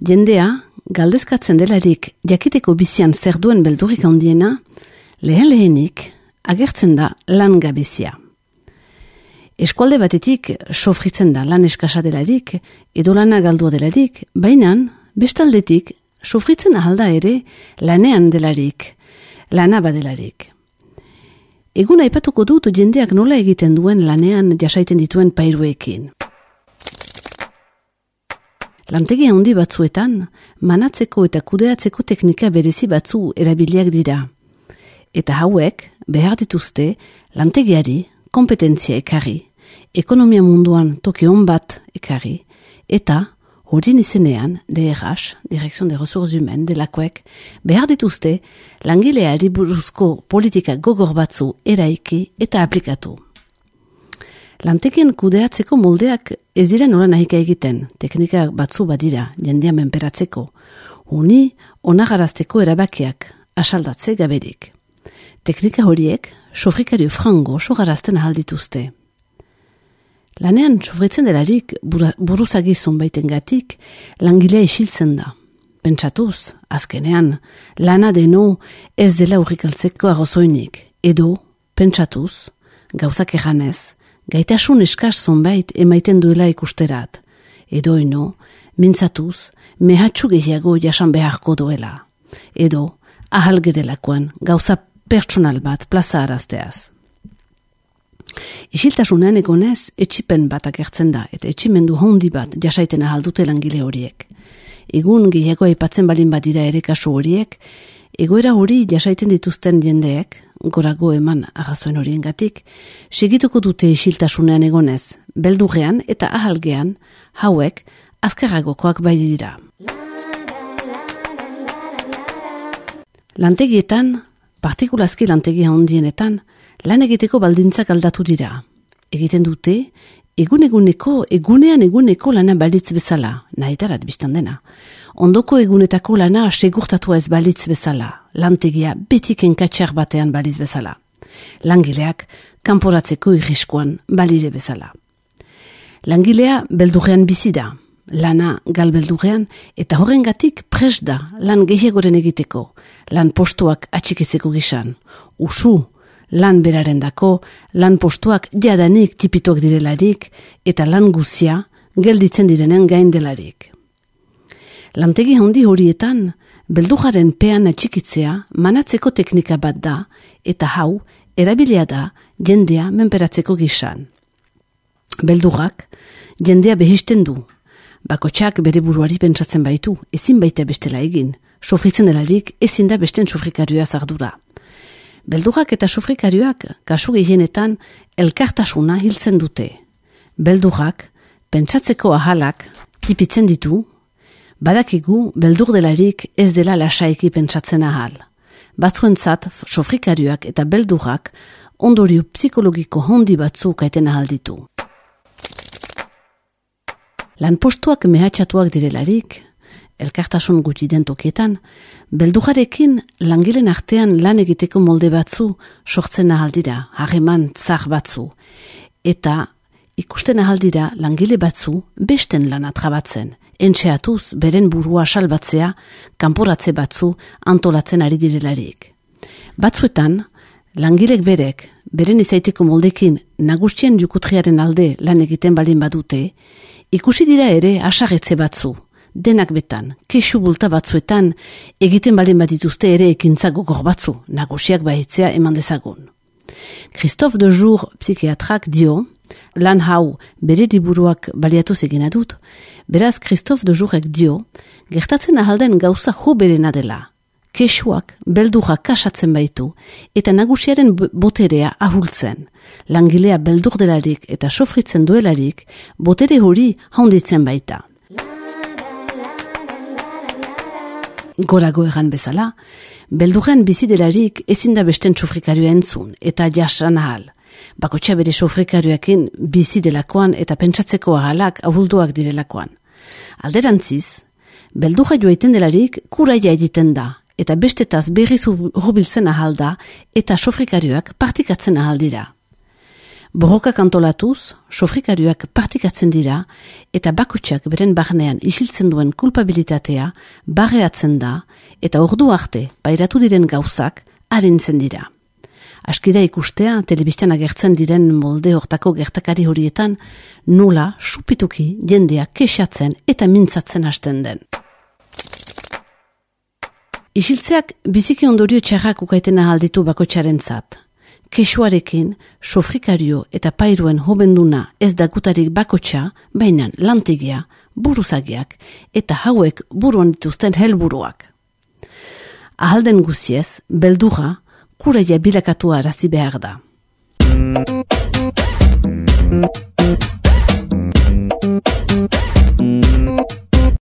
Jendea, galdezkatzen delarik jakiteko bizian zer duen beldurrik handiena, lehenik agertzen da lan gabezia. Eskualde batetik sofritzen da lan eskasa delarik, edo lana galdua delarik, baina bestaldetik sofritzen ahalda ere lanean delarik, lana badelarik. Egun aipatuko dut jendeak nola egiten duen lanean jasaiten dituen pairuekin. Lantegi handi batzuetan, manatzeko eta kudeatzeko teknika berezi batzu erabiliak dira. Eta hauek behar dituzte lantegiari kompetentzia ekarri, ekonomia munduan toki on bat ekarri, eta horien izenean DRH, Direction des Ressources Humaines, delakoek, behar dituzte langileari buruzko politika gogor batzu eraiki eta aplikatu. Lantekien kudeatzeko moldeak ez dira nola nahika egiten, teknika batzu badira, jendea menperatzeko, uni onagarazteko erabakiak asaldatze gaberik. Teknika horiek sofrikario frango sogarazten ahaldituzte. Lanean sofritzen delarik buruzagizun baitengatik langilea isiltzen da. Pentsatuz, azkenean, lana deno ez dela urrikaltzeko arrozoinik, edo, pentsatuz, gauzak eganez, gaitasun eskas zonbait emaiten duela ikusterat, edo eno, mintzatuz, mehatxu gehiago jasan beharko duela, edo, ahal gedelakoan gauza pertsonal bat plaza arazteaz. Isiltasunean egonez, etxipen bat agertzen da, eta etximendu hondi bat jasaiten ahaldute langile horiek. Egun gehiago aipatzen balin badira ere kasu horiek, egoera hori jasaiten dituzten jendeek, gorago eman arrazoen horiengatik, segituko dute isiltasunean egonez, beldurrean eta ahalgean, hauek azkarragokoak bai dira. Lantegietan, partikulazki lantegia handienetan, lan egiteko baldintzak aldatu dira. Egiten dute, egunean lana balitz bezala, nahitarat biztan dena. Ondoko egunetako lana segurtatua ez balitz bezala, lantegia betik enkatxar batean balitz bezala. Langileak kanporatzeko irriskoan balire bezala. Langilea beldurrean bizi da, lana galbeldurrean, eta horrengatik prest da lan gehiagoren egiteko, lan postuak atxikitzeko gisan, usu, lan berarendako, lan postuak jadanik tipituak direlarik eta lan guzia gelditzen direnen gain delarik. Lantegi handi horietan, beldurraren pean atxikitzea manatzeko teknika bat da eta hau erabilia da jendea menperatzeko gisan. Beldurrak jendea behisten du. Bakotxak bere buruari pentsatzen baitu, ezin baita bestela egin. Sofritzen delarik ezin da besten sofrikarioa zardura. Beldurrak eta sofrikarioak kasu gehienetan elkartasuna hiltzen dute. Beldurrak pentsatzeko ahalak tipitzen ditu, badakigu beldur delarik ez dela lasaiki pentsatzen ahal. Batzuentzat sofrikarioak eta beldurrak ondorio psikologiko hondi batzu kaiten ahal ditu. Lanpostuak mehatxatuak direlarik, elkartasun gutxi den tokietan, beldurrarekin langilen artean lan egiteko molde batzu sortzen ahaldira, harreman tzar batzu, eta ikusten ahaldira langile batzu besten lana trabatzen, entxeatuz beren burua salbatzea, kanporatze batzu antolatzen ari direlarik. Batzuetan, langilek beren izaiteko moldekin nagusien jukutriaren alde lan egiten balin badute, ikusi dira ere asarretze batzu, denak betan, kexu bulta batzuetan, egiten balin badituzte ere ekintza gogor batzu, nagusiak bahitzea eman dezagun. Christophe de Jour psikiatrak dio, lan hau bere liburuak baliatuz egina dut, beraz Christophe de Jourek dio, gertatzen ahalden gauza jo berena dela. Kexuak beldurra kasatzen baitu eta nagusiaren boterea ahultzen. Langilea beldur delarik eta sofritzen duelarik, botere hori handitzen baita. Gorago egan bezala, beldurren bizi delarik ezin da besten sofrikarioa entzun eta jasan ahal. Bakotxa bere sofrikarioakin bizi delakoan eta pentsatzeko ahalak ahulduak direlakoan. Alderantziz, beldurra joaiten delarik kuraia egiten da, eta bestetaz berriz hurbiltzen ahal da eta sofrikarioak partikatzen ahal dira. Borrokak antolatuz, sofrikarioak partikatzen dira eta bakutsak beren barnean isiltzen duen kulpabilitatea barreatzen da eta ordu arte pairatu diren gauzak arintzen dira. Askida ikustea, telebistan agertzen diren molde hortako gertakari horietan, nola supituki jendea kexatzen eta mintzatzen hasten den. Isiltzeak biziki ondorio txarrak ukaitena alditu bakotxarentzat. Kexuarekin, sofrikario eta pairuen hobenduna ez da gutarik bakotxa, baina lantegia, buruzagiak eta hauek buruan dituzten helburuak. Ahalden guziez, beldurra, kuraia bilakatua arazi behar da.